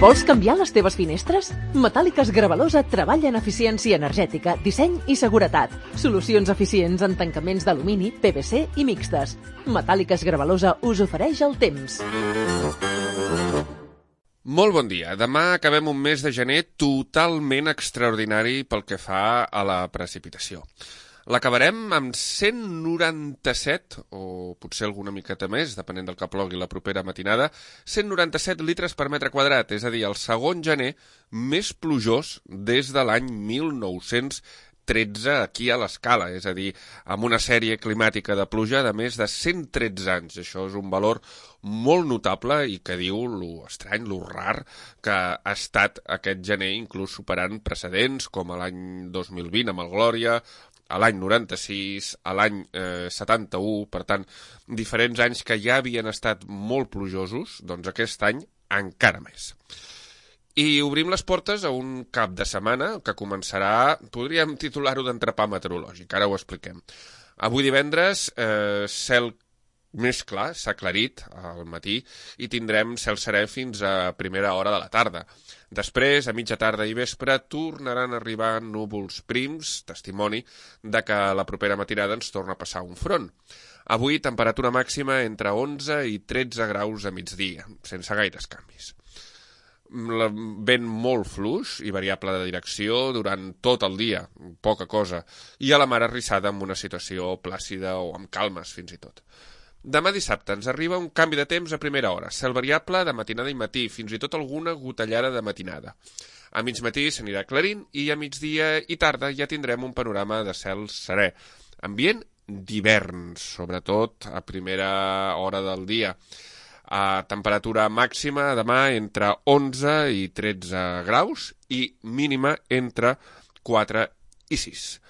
Vols canviar les teves finestres? Metàl·liques Gravalosa treballa en eficiència energètica, disseny i seguretat. Solucions eficients en tancaments d'alumini, PVC i mixtes. Metàl·liques Gravalosa us ofereix el temps. Molt bon dia. Demà acabem un mes de gener totalment extraordinari pel que fa a la precipitació. L'acabarem amb 197, o potser alguna miqueta més, depenent del que plogui la propera matinada, 197 litres per metre quadrat, és a dir, el segon gener més plujós des de l'any 1913 aquí a l'Escala, és a dir, amb una sèrie climàtica de pluja de més de 113 anys. Això és un valor molt notable i que diu lo estrany, lo rar que ha estat aquest gener, inclús superant precedents com l'any 2020 amb el Glòria, a l'any 96, a l'any 71, per tant, diferents anys que ja havien estat molt plujosos, doncs aquest any encara més. I obrim les portes a un cap de setmana que començarà, podríem titular-ho d'entrepà meteorològic, ara ho expliquem. Avui divendres, cel més clar, s'ha aclarit al matí i tindrem cel serè fins a primera hora de la tarda. Després, a mitja tarda i vespre, tornaran a arribar núvols prims, testimoni de que la propera matinada ens torna a passar un front. Avui, temperatura màxima entre 11 i 13 graus a migdia, sense gaires canvis. Vent molt fluix i variable de direcció durant tot el dia, poca cosa, i a la mar arrissada amb una situació plàcida o amb calmes fins i tot. Demà dissabte ens arriba un canvi de temps a primera hora, cel variable de matinada i matí, fins i tot alguna gotellada de matinada. A mig matí s'anirà aclarint i a migdia i tarda ja tindrem un panorama de cel serè. Ambient d'hivern, sobretot a primera hora del dia. A temperatura màxima demà entre 11 i 13 graus i mínima entre 4 i 6.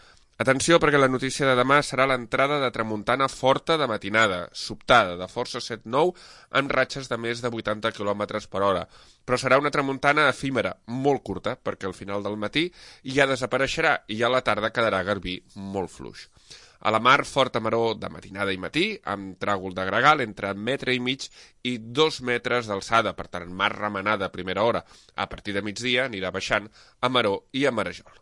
Atenció, perquè la notícia de demà serà l'entrada de tramuntana forta de matinada, sobtada, de força 7-9, amb ratxes de més de 80 km per hora. Però serà una tramuntana efímera, molt curta, perquè al final del matí ja desapareixerà i a la tarda quedarà garbí molt fluix. A la mar, forta maror de matinada i matí, amb tràgol de gregal entre 1,5 metres i 2 metres d'alçada, per tant, mar remenada a primera hora. A partir de migdia anirà baixant a maror i a marejol.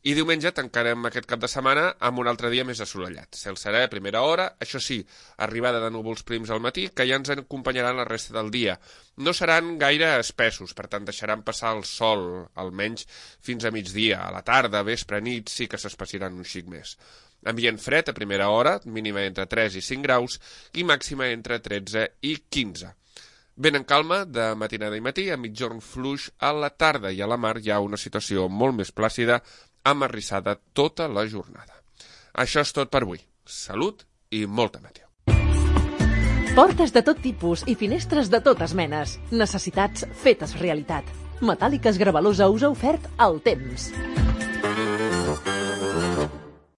I diumenge tancarem aquest cap de setmana amb un altre dia més assolellat. Cel serè a primera hora, això sí, arribada de núvols prims al matí, que ja ens acompanyaran la resta del dia. No seran gaire espessos, per tant deixaran passar el sol, almenys fins a migdia. A la tarda, vespre, nit, sí que s'espaciran un xic més. Ambient fred a primera hora, mínima entre 3 i 5 graus, i màxima entre 13 i 15. Vent en calma de matinada i matí, a mitjorn fluix a la tarda, i a la mar hi ha una situació molt més plàcida, amarrissada tota la jornada. Això és tot per avui. Salut i molta meteo. Portes de tot tipus i finestres de totes menes. Necessitats fetes realitat. Metàl·liques Gravalosa us ha ofert el temps.